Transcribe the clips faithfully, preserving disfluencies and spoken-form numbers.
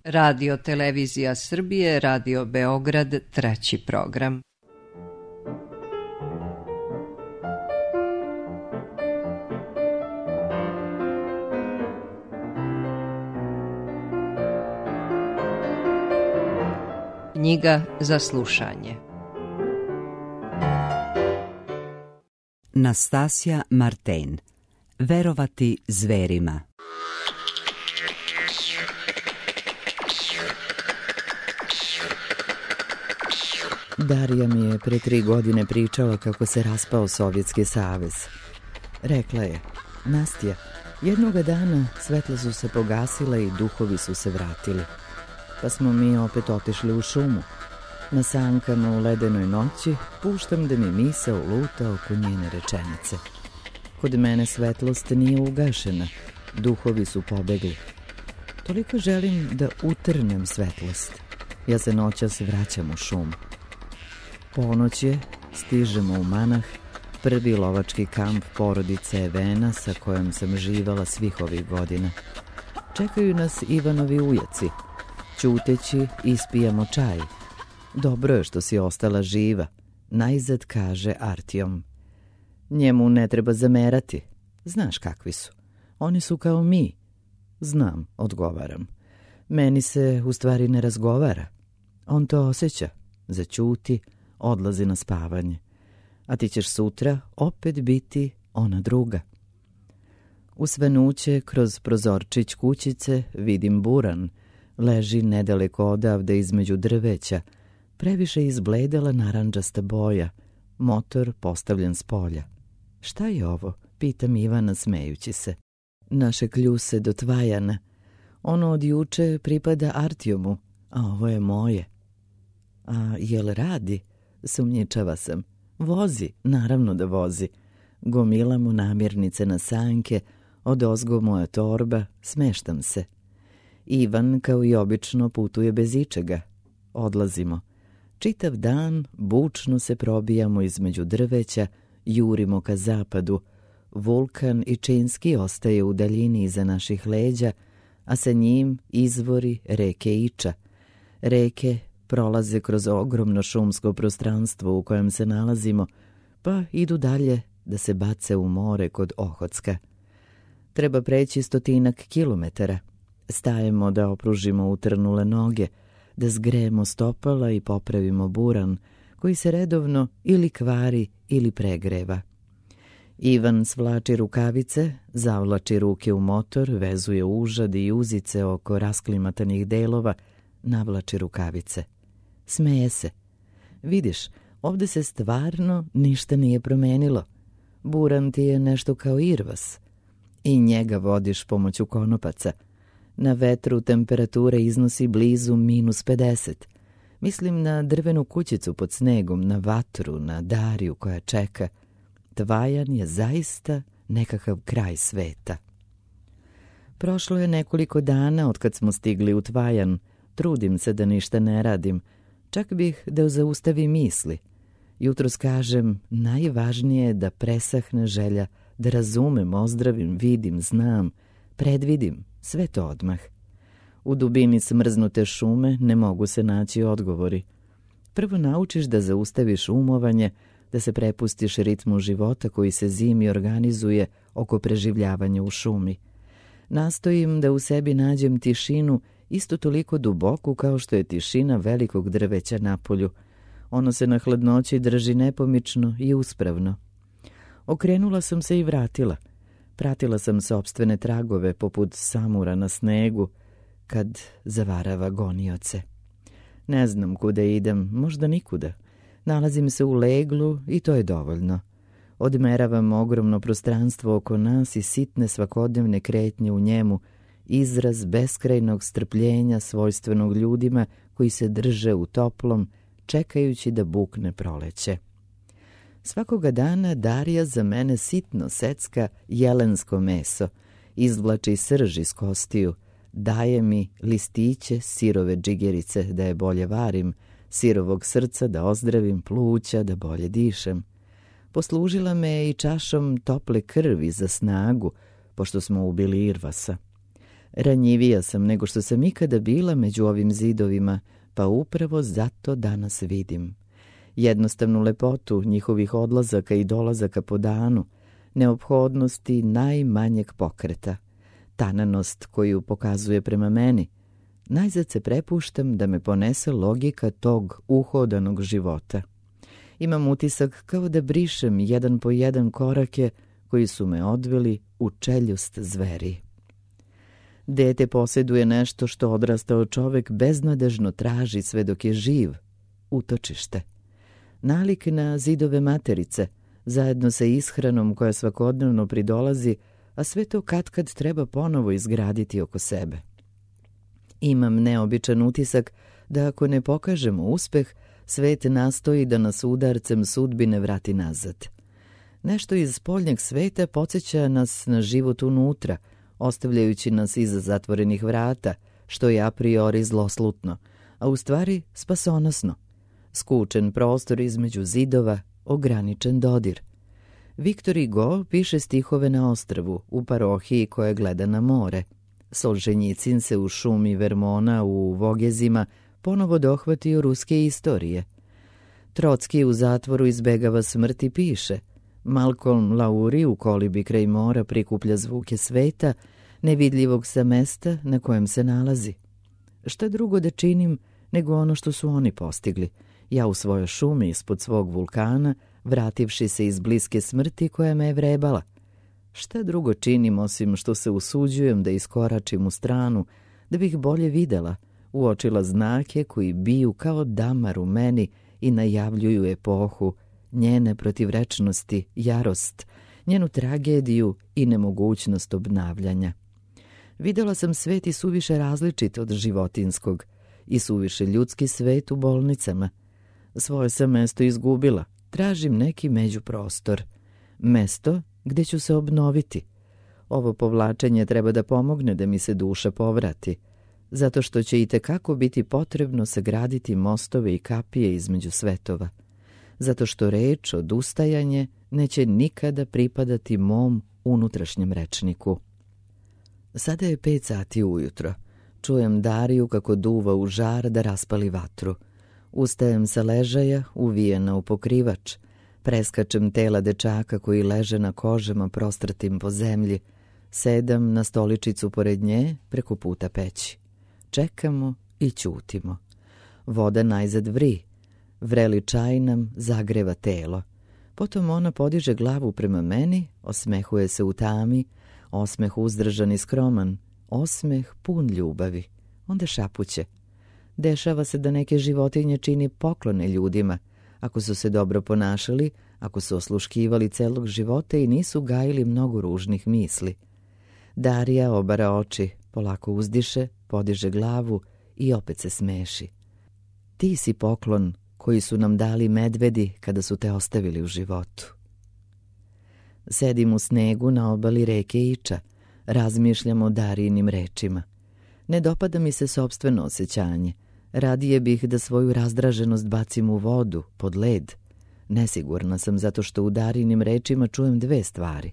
Radio Televizija Srbije, Radio Beograd, treći program. Knjiga za slušanje. Nastasja Marten. Verovati zverima. Darija mi je pre tri godine pričala kako se raspao Sovjetski savez. Rekla je: Nastja, jednoga dana svetla su se pogasila i duhovi su se vratili. Pa smo mi opet otišli u šumu. Na sankama u ledenoj noći puštam da mi misao luta oko njene rečenice. Kod mene svetlost nije ugašena, duhovi su pobegli. Toliko želim da utrnem svetlost. Ja se noćas vraćam u šumu. Ponoć je, stižemo u Manah, prvi lovački kamp porodice Evena sa kojom sam živala svih ovih godina. Čekaju nas Ivanovi ujaci. Ćuteći ispijamo čaj. Dobro je što si ostala živa, najzad kaže Artjom. Njemu ne treba zamerati. Znaš kakvi su. Oni su kao mi. Znam, odgovaram. Meni se u stvari ne razgovara. On to osjeća. Zaćuti, odlazi na spavanje. A ti ćeš sutra opet biti ona druga. U svenuće kroz prozorčić kućice vidim buran. Leži nedaleko odavde između drveća. Previše izbledela narandžasta boja. Motor postavljen s polja. Šta je ovo? Pitam Ivana smejući se. Naše kljuse do Tvajana. Ono od juče pripada Artjomu, a ovo je moje. A jel radi? Sumnjičava sam. Vozi, naravno da vozi. Gomila mu namirnice na sanke, odozgo moja torba, smeštam se. Ivan, kao i obično, putuje bez ičega. Odlazimo. Čitav dan bučno se probijamo između drveća, jurimo ka zapadu. Vulkan i Činski ostaje u daljini iza naših leđa, a sa njim izvori reke Iča. Reke prolaze kroz ogromno šumsko prostranstvo u kojem se nalazimo, pa idu dalje da se bace u more kod Ohotska. Treba preći stotinak kilometara. Stajemo da opružimo utrnule noge, da zgrejemo stopala i popravimo buran, koji se redovno ili kvari ili pregreva. Ivan svlači rukavice, zavlači ruke u motor, vezuje užad i uzice oko rasklimatanih delova, navlači rukavice. Smeje se. Vidiš, ovde se stvarno ništa nije promenilo. Buran ti je nešto kao irvas. I njega vodiš pomoću konopaca. Na vetru temperatura iznosi blizu minus pedeset. Mislim na drvenu kućicu pod snegom, na vatru, na Dariju koja čeka. Tvajan je zaista nekakav kraj sveta. Prošlo je nekoliko dana od kad smo stigli u Tvajan. Trudim se da ništa ne radim. Čak bih da zaustavim misli. Jutros kažem, najvažnije je da presahne želja, da razumem, ozdravim, vidim, znam, predvidim, sve to odmah. U dubini smrznute šume ne mogu se naći odgovori. Prvo naučiš da zaustaviš umovanje, da se prepustiš ritmu života koji se zimi organizuje oko preživljavanja u šumi. Nastojim da u sebi nađem tišinu isto toliko duboku kao što je tišina velikog drveća na polju. Ono se na hladnoći drži nepomično i uspravno. Okrenula sam se i vratila. Pratila sam sopstvene tragove poput samura na snegu kad zavarava gonioce. Ne znam kuda idem, možda nikuda. Nalazim se u leglu i to je dovoljno. Odmeravam ogromno prostranstvo oko nas i sitne svakodnevne kretnje u njemu, izraz beskrajnog strpljenja svojstvenog ljudima koji se drže u toplom, čekajući da bukne proleće. Svakoga dana Darija za mene sitno secka jelensko meso, izvlači srž iz kostiju, daje mi listiće sirove džigerice da je bolje varim, sirovog srca da ozdravim pluća, da bolje dišem. Poslužila me je i čašom tople krvi za snagu, pošto smo ubili Irvasa. Ranjivija sam nego što sam ikada bila među ovim zidovima, pa upravo zato danas vidim. Jednostavnu lepotu njihovih odlazaka i dolazaka po danu, neophodnosti najmanjeg pokreta, tananost koju pokazuje prema meni. Najzad se prepuštam da me ponese logika tog uhodanog života. Imam utisak kao da brišem jedan po jedan korake koji su me odveli u čeljust zveri. Dete posjeduje nešto što odrastao čovek beznadežno traži sve dok je živ, utočište. Nalik na zidove materice, zajedno sa ishranom koja svakodnevno pridolazi, a sve to katkad treba ponovo izgraditi oko sebe. Imam neobičan utisak da ako ne pokažemo uspeh, svet nastoji da nas udarcem sudbine vrati nazad. Nešto iz spoljnjeg sveta podsjeća nas na život unutra, ostavljajući nas iza zatvorenih vrata, što je a priori zloslutno, a u stvari spasonosno. Skučen prostor između zidova, ograničen dodir. Viktor Hugo piše stihove na ostrvu, u parohiji koja gleda na more. Solženjicin se u šumi Vermona u Vogezima ponovo dohvatio ruske istorije. Trotski u zatvoru izbegava smrt i piše. Malcolm Lauri u kolibi kraj mora prikuplja zvuke sveta, nevidljivog sa mesta na kojem se nalazi. Šta drugo da činim nego ono što su oni postigli? Ja u svojoj šumi ispod svog vulkana, vrativši se iz bliske smrti koja me je vrebala. Šta drugo činim osim što se usuđujem da iskoračim u stranu, da bih bolje videla, uočila znake koji biju kao damar u meni i najavljuju epohu, njene protivrečnosti, jarost, njenu tragediju i nemogućnost obnavljanja. Videla sam svet i suviše različit od životinskog, i suviše ljudski svet u bolnicama. Svoje sam mesto izgubila, tražim neki međuprostor. Mesto gde ću se obnoviti. Ovo povlačenje treba da pomogne da mi se duša povrati, zato što će i tekako biti potrebno sagraditi mostove i kapije između svetova. Zato što reč odustajanje neće nikada pripadati mom unutrašnjem rečniku. Sada je pet sati ujutro. Čujem Dariju kako duva u žar da raspali vatru. Ustajem sa ležaja, uvijena u pokrivač. Preskačem tela dečaka koji leže na kožama prostratim po zemlji. Sedam na stoličicu pored nje preko puta peći. Čekamo i ćutimo. Voda najzad vri. Vreli čaj nam zagreva telo. Potom ona podiže glavu prema meni, osmehuje se u tami, osmeh uzdržan i skroman, osmeh pun ljubavi. Onda šapuće. Dešava se da neke životinje čini poklone ljudima, ako su se dobro ponašali, ako su osluškivali celog života i nisu gajili mnogo ružnih misli. Darija obara oči, polako uzdiše, podiže glavu i opet se smeši. Ti si poklon koji su nam dali medvedi kada su te ostavili u životu. Sedim u snegu na obali reke Iča, razmišljam o Darijinim rečima. Ne dopada mi se sopstveno osjećanje. Radije bih da svoju razdraženost bacim u vodu, pod led. Nesigurna sam zato što u Darijinim rečima čujem dve stvari.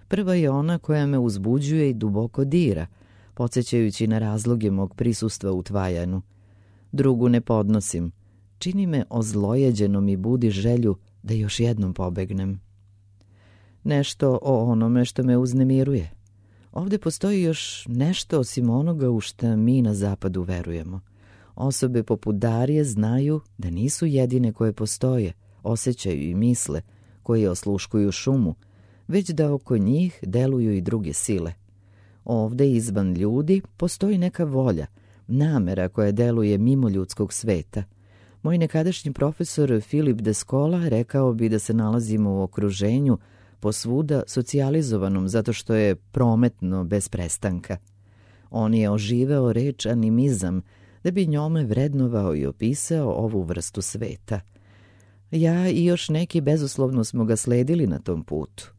Prva je ona koja me uzbuđuje i duboko dira, podsjećajući na razloge mog prisustva u Tvajanu. Drugu ne podnosim. Čini me ozlojeđenom i budi želju da još jednom pobegnem. Nešto o onome što me uznemiruje. Ovdje postoji još nešto osim onoga u šta mi na zapadu verujemo. Osobe poput Darije znaju da nisu jedine koje postoje, osjećaju i misle, koje osluškuju šumu, već da oko njih deluju i druge sile. Ovdje izvan ljudi postoji neka volja, namera koja deluje mimo ljudskog sveta. Moj nekadašnji profesor Filip de Scola rekao bi da se nalazimo u okruženju posvuda socijalizovanom zato što je prometno bez prestanka. On je oživeo reč animizam da bi njome vrednovao i opisao ovu vrstu sveta. Ja i još neki bezuslovno smo ga sledili na tom putu.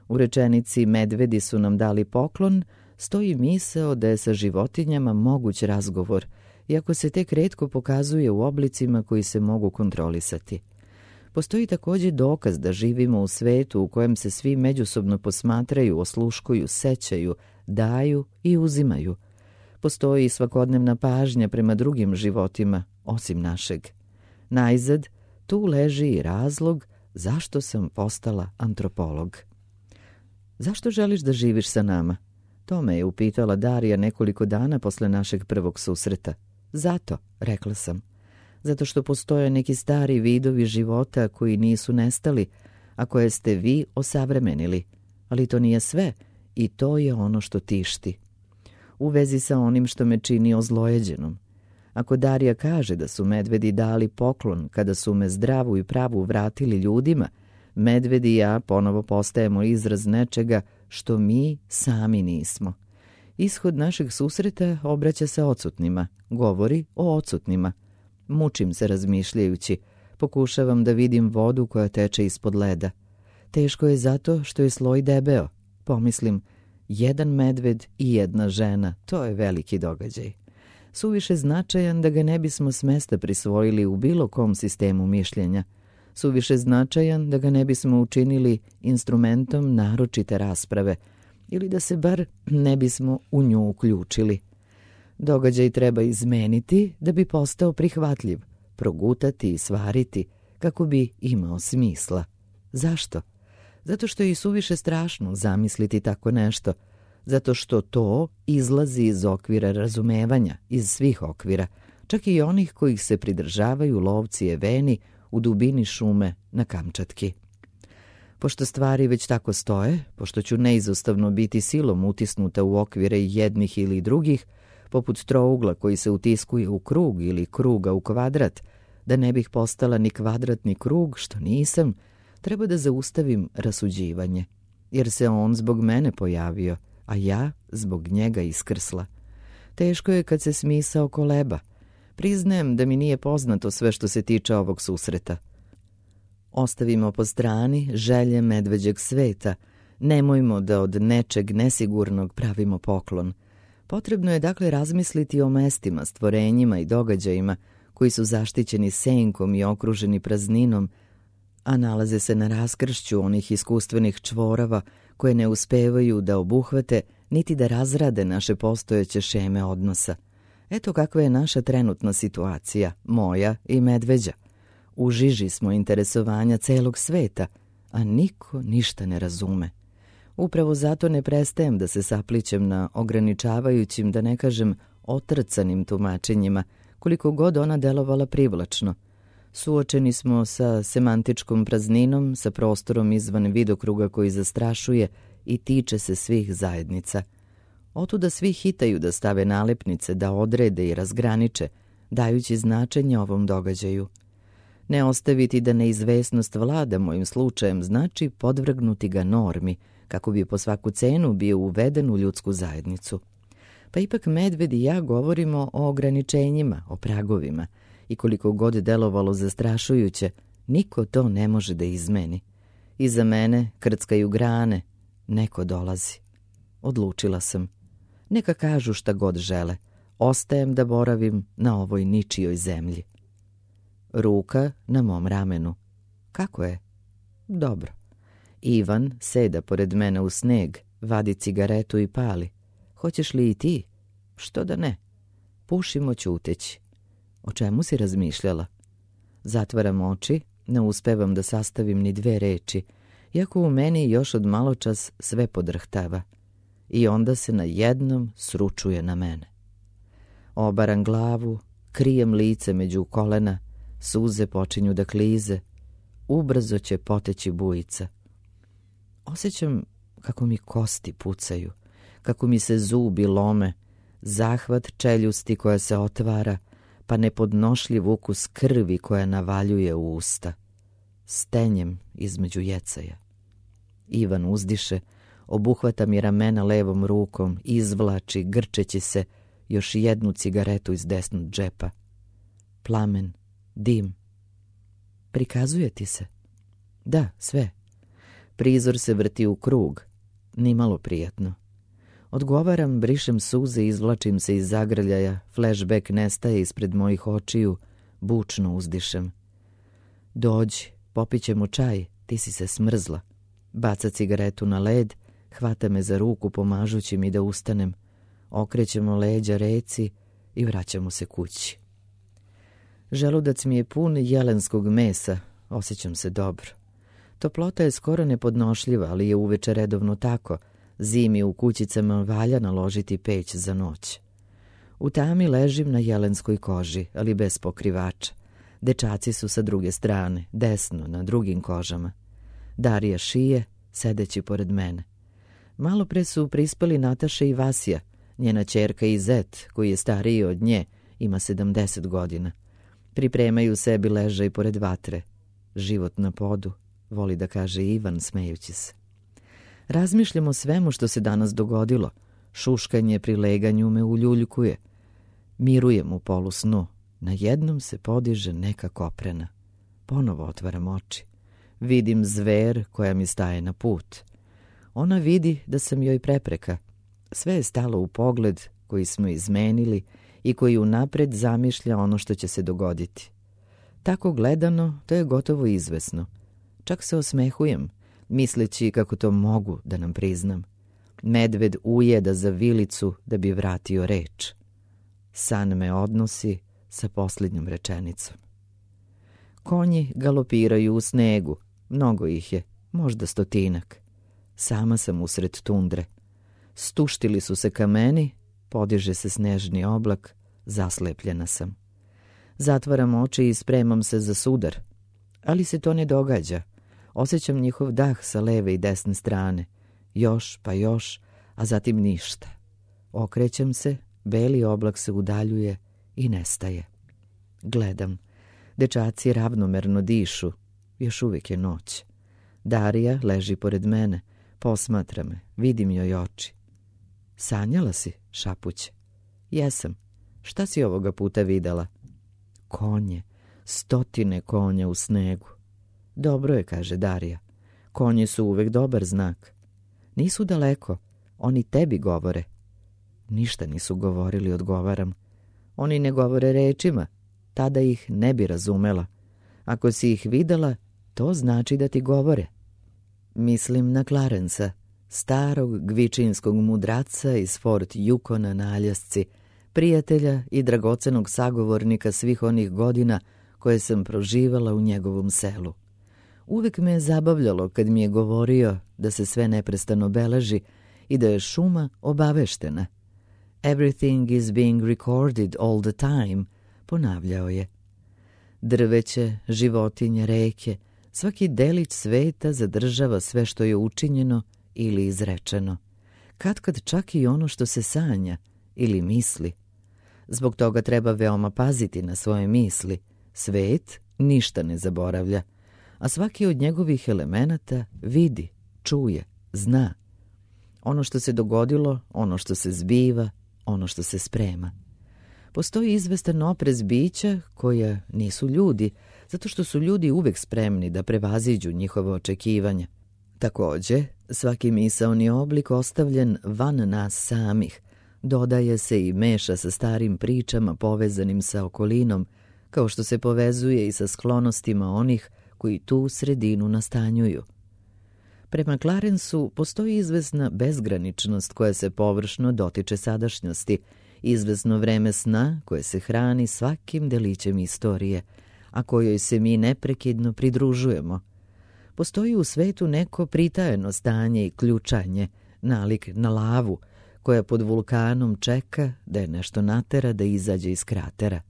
U rečenici medvedi su nam dali poklon stoji misao da je sa životinjama moguć razgovor, iako se tek retko pokazuje u oblicima koji se mogu kontrolisati. Postoji također dokaz da živimo u svetu u kojem se svi međusobno posmatraju, osluškuju, sećaju, daju i uzimaju. Postoji i svakodnevna pažnja prema drugim životima, osim našeg. Najzad, tu leži i razlog zašto sam postala antropolog. Zašto želiš da živiš sa nama? To me je upitala Darija nekoliko dana posle našeg prvog susreta. Zato, rekla sam. Zato što postoje neki stari vidovi života koji nisu nestali, a koje ste vi osavremenili. Ali to nije sve i to je ono što tišti. U vezi sa onim što me čini ozlojeđenom. Ako Darija kaže da su medvedi dali poklon kada su me zdravu i pravu vratili ljudima, medvedi i ja ponovo postajemo izraz nečega što mi sami nismo. Ishod našeg susreta obraća se odsutnima, govori o odsutnima. Mučim se razmišljajući, pokušavam da vidim vodu koja teče ispod leda. Teško je zato što je sloj debeo. Pomislim, jedan medved i jedna žena, to je veliki događaj. Suviše značajan da ga ne bismo s mesta prisvojili u bilo kom sistemu mišljenja. Suviše značajan da ga ne bismo učinili instrumentom naročite rasprave ili da se bar ne bismo u nju uključili. Događaj treba izmeniti da bi postao prihvatljiv, progutati i svariti kako bi imao smisla. Zašto? Zato što je i suviše strašno zamisliti tako nešto. Zato što to izlazi iz okvira razumevanja, iz svih okvira, čak i onih kojih se pridržavaju lovci eveni u dubini šume na Kamčatki. Pošto stvari već tako stoje, pošto ću neizostavno biti silom utisnuta u okvire jednih ili drugih, poput trougla koji se utiskuje u krug ili kruga u kvadrat, da ne bih postala ni kvadrat ni krug, što nisam, treba da zaustavim rasuđivanje, jer se on zbog mene pojavio, a ja zbog njega iskrsla. Teško je kad se smisao koleba. Priznajem da mi nije poznato sve što se tiče ovog susreta. Ostavimo po strani želje medveđeg sveta. Nemojmo da od nečeg nesigurnog pravimo poklon. Potrebno je dakle razmisliti o mestima, stvorenjima i događajima koji su zaštićeni senkom i okruženi prazninom, a nalaze se na raskršću onih iskustvenih čvorava koje ne uspevaju da obuhvate niti da razrade naše postojeće šeme odnosa. Eto kakva je naša trenutna situacija, moja i medveđa. U žiži smo interesovanja celog sveta, a niko ništa ne razume. Upravo zato ne prestajem da se saplićem na ograničavajućim, da ne kažem otrcanim tumačenjima, koliko god ona delovala privlačno. Suočeni smo sa semantičkom prazninom, sa prostorom izvan vidokruga koji zastrašuje i tiče se svih zajednica. Otuda svi hitaju da stave nalepnice, da odrede i razgraniče, dajući značenje ovom događaju. Ne ostaviti da neizvesnost vlada mojim slučajem znači podvrgnuti ga normi, kako bi po svaku cenu bio uveden u ljudsku zajednicu. Pa ipak medved i ja govorimo o ograničenjima, o pragovima, i koliko god delovalo zastrašujuće, niko to ne može da izmeni. Iza mene krckaju grane, neko dolazi. Odlučila sam. Neka kažu šta god žele. Ostajem da boravim na ovoj ničijoj zemlji. Ruka na mom ramenu. Kako je? Dobro. Ivan seda pored mene u sneg, vadi cigaretu i pali. Hoćeš li i ti? Što da ne? Pušimo ćuteći. O čemu si razmišljala? Zatvaram oči, ne uspevam da sastavim ni dve reči, iako u meni još od maločas sve podrhtava. I onda se na jednom sručuje na mene. Obaram glavu, krijem lice među kolena, suze počinju da klize, ubrzo će poteći bujica. Osjećam kako mi kosti pucaju, kako mi se zubi lome, zahvat čeljusti koja se otvara, pa nepodnošljiv ukus krvi koja navaljuje u usta. Stenjem između jecaja. Ivan uzdiše, obuhvata mi ramena levom rukom, izvlači, grčeći se, još jednu cigaretu iz desnog džepa. Plamen, dim. Prikazuje ti se? Da, sve. Prizor se vrti u krug, nimalo prijatno. Odgovaram, brišem suze, izvlačim se iz zagrljaja, flashback nestaje ispred mojih očiju, bučno uzdišem. Dođi, popićemo čaj, ti si se smrzla. Baca cigaretu na led, hvata me za ruku pomažući mi da ustanem. okrećemo leđa reci i vraćamo se kući. Želudac mi je pun jelenskog mesa, osjećam se dobro. Toplota je skoro nepodnošljiva, ali je uveče redovno tako. Zimi u kućicama valja naložiti peć za noć. U tami ležim na jelenskoj koži, ali bez pokrivača. Dečaci su sa druge strane, desno, na drugim kožama. Darija šije, sedeći pored mene. Malo pre su prispali Nataša i Vasija, njena ćerka i zet, koji je stariji od nje, ima sedamdeset godina. Pripremaju sebi ležaj pored vatre. Život na podu, voli da kaže Ivan, smejući se. Razmišljam o svemu što se danas dogodilo. Šuškanje pri leganju me uljuljkuje. Mirujem u polusnu. Na jednom se podiže neka koprena. Ponovo otvaram oči. Vidim zver koja mi staje na put. Ona vidi da sam joj prepreka. Sve je stalo u pogled koji smo izmenili i koji unapred zamišlja ono što će se dogoditi. Tako gledano, to je gotovo izvesno. Čak se osmehujem, misleći kako to mogu da nam priznam. Medved ujeda za vilicu da bi vratio reč. San me odnosi sa posljednjom rečenicom. Konji galopiraju u snegu, mnogo ih je, možda stotinak. Sama sam usred tundre. Stuštili su se kameni, podiže se snežni oblak, zaslepljena sam. Zatvaram oči i spremam se za sudar. Ali se to ne događa. Osjećam njihov dah sa leve i desne strane. Još pa još, a zatim ništa. Okrećem se, beli oblak se udaljuje i nestaje. Gledam. Dečaci ravnomerno dišu. Još uvijek je noć. Darija leži pored mene. Posmatra me. Vidim joj oči. Sanjala si, šapuće. Jesam. Šta si ovoga puta videla? Konje. Stotine konja u snegu. Dobro je, kaže Darija. Konji su uvek dobar znak. Nisu daleko. Oni tebi govore. Ništa nisu govorili, odgovaram. Oni ne govore rečima. Tada ih ne bi razumela. Ako si ih videla, to znači da ti govore. Mislim na Clarensa, starog gvičinskog mudraca iz Fort Yukona na Aljasci, prijatelja i dragocenog sagovornika svih onih godina koje sam proživala u njegovom selu. Uvek me je zabavljalo kad mi je govorio da se sve neprestano beleži i da je šuma obaveštena. Everything is being recorded all the time, ponavljao je. Drveće, životinje, reke, svaki delić sveta zadržava sve što je učinjeno ili izrečeno. Katkad čak i ono što se sanja ili misli. Zbog toga treba veoma paziti na svoje misli. Svet ništa ne zaboravlja, a svaki od njegovih elemenata vidi, čuje, zna. Ono što se dogodilo, ono što se zbiva, ono što se sprema. Postoji izvestan oprez bića koja nisu ljudi, zato što su ljudi uvek spremni da prevaziđu njihova očekivanja. Takođe, svaki misaoni oblik ostavljen van nas samih, dodaje se i meša sa starim pričama povezanim sa okolinom, kao što se povezuje i sa sklonostima onih koji tu sredinu nastanjuju. Prema Clarensu postoji izvesna bezgraničnost koja se površno dotiče sadašnjosti, izvesno vreme sna koje se hrani svakim delićem istorije, a kojoj se mi neprekidno pridružujemo. Postoji u svetu neko pritajeno stanje i ključanje, nalik na lavu, koja pod vulkanom čeka da je nešto natera da izađe iz kratera.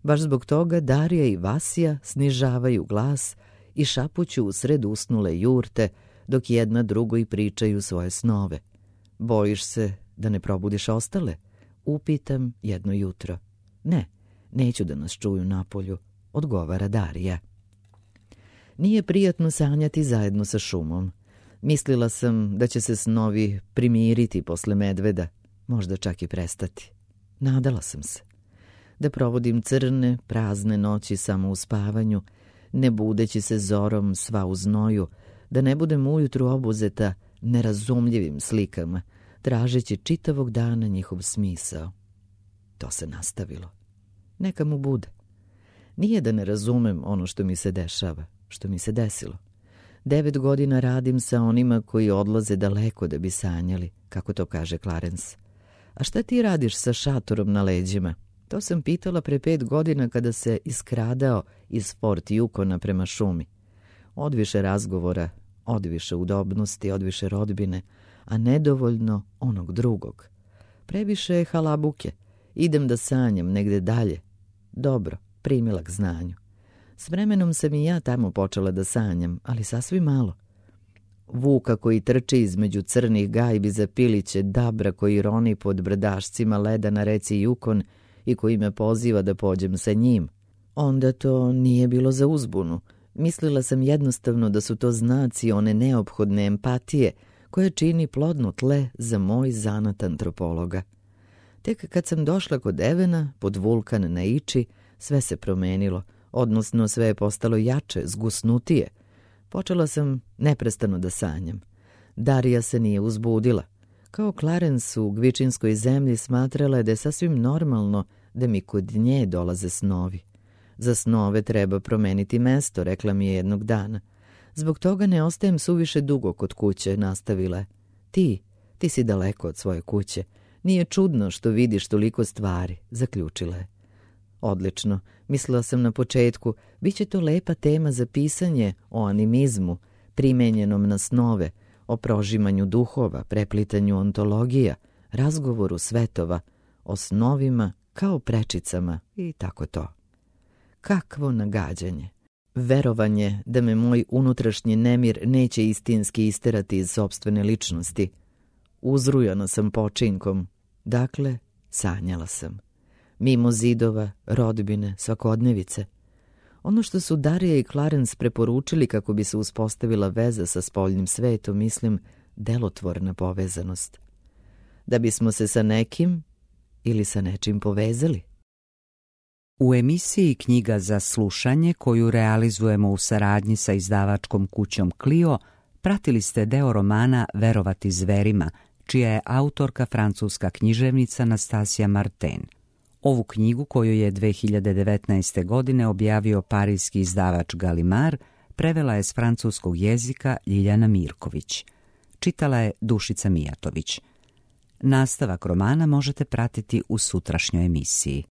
Baš zbog toga Darija i Vasija snižavaju glas i šapuću u sred usnule jurte, dok jedna drugoj pričaju svoje snove. Bojiš se da ne probudiš ostale? Upitam jedno jutro. Ne, neću da nas čuju napolju, odgovara Darija. Nije prijatno sanjati zajedno sa šumom. Mislila sam da će se snovi primiriti posle medveda, možda čak i prestati. Nadala sam se. Da provodim crne, prazne noći samo u spavanju, ne budeći se zorom sva u znoju, da ne budem ujutru obuzeta nerazumljivim slikama, tražeći čitavog dana njihov smisao. To se nastavilo. Neka mu bude. Nije da ne razumem ono što mi se dešava, što mi se desilo. Devet godina radim sa onima koji odlaze daleko da bi sanjali, kako to kaže Clarence. A šta ti radiš sa šatorom na leđima? To sam pitala pre pet godina kada se iskradao iz Fort Yukona prema šumi. Odviše razgovora, odviše udobnosti, odviše rodbine, a nedovoljno onog drugog. Previše je halabuke. Idem da sanjam negde dalje. Dobro, primila k znanju. S vremenom sam i ja tamo počela da sanjam, ali sasvim malo. Vuka koji trči između crnih gajbi za piliće, Dabra koji roni pod brdašcima leda na reci Yukon i koji me poziva da pođem sa njim. Onda to nije bilo za uzbunu. Mislila sam jednostavno da su to znaci one neophodne empatije koje čini plodno tle za moj zanat antropologa. Tek kad sam došla kod Evena, pod vulkan na Iči, sve se promenilo, odnosno sve je postalo jače, zgusnutije. Počela sam neprestano da sanjam. Darija se nije uzbudila. Kao Clarence u Gvičinskoj zemlji smatrala je da je sasvim normalno da mi kod nje dolaze snovi. Za snove treba promeniti mesto, rekla mi je jednog dana. Zbog toga ne ostajem suviše dugo kod kuće, nastavila je. Ti, ti si daleko od svoje kuće. Nije čudno što vidiš toliko stvari, zaključila je. Odlično, mislila sam na početku, bit će to lepa tema za pisanje o animizmu, primenjenom na snove, o prožimanju duhova, preplitanju ontologija, razgovoru svetova, o snovima kao prečicama i tako to. Kakvo nagađanje! Verovanje da me moj unutrašnji nemir neće istinski isterati iz sopstvene ličnosti. Uzrujana sam počinkom, dakle, sanjala sam. Mimo zidova, rodbine, svakodnevice. Ono što su Darija i Clarence preporučili kako bi se uspostavila veza sa spoljnim svetom, mislim, delotvorna povezanost. Da bismo se sa nekim ili sa nečim povezali. U emisiji Knjiga za slušanje, koju realizujemo u saradnji sa izdavačkom kućom Clio, pratili ste deo romana Verovati zverima, čija je autorka francuska književnica Nastasija Martin. Ovu knjigu, koju je dve hiljade devetnaeste. godine objavio parijski izdavač Gallimard, prevela je s francuskog jezika Ljiljana Mirković. Čitala je Dušica Mijatović. Nastavak romana možete pratiti u sutrašnjoj emisiji.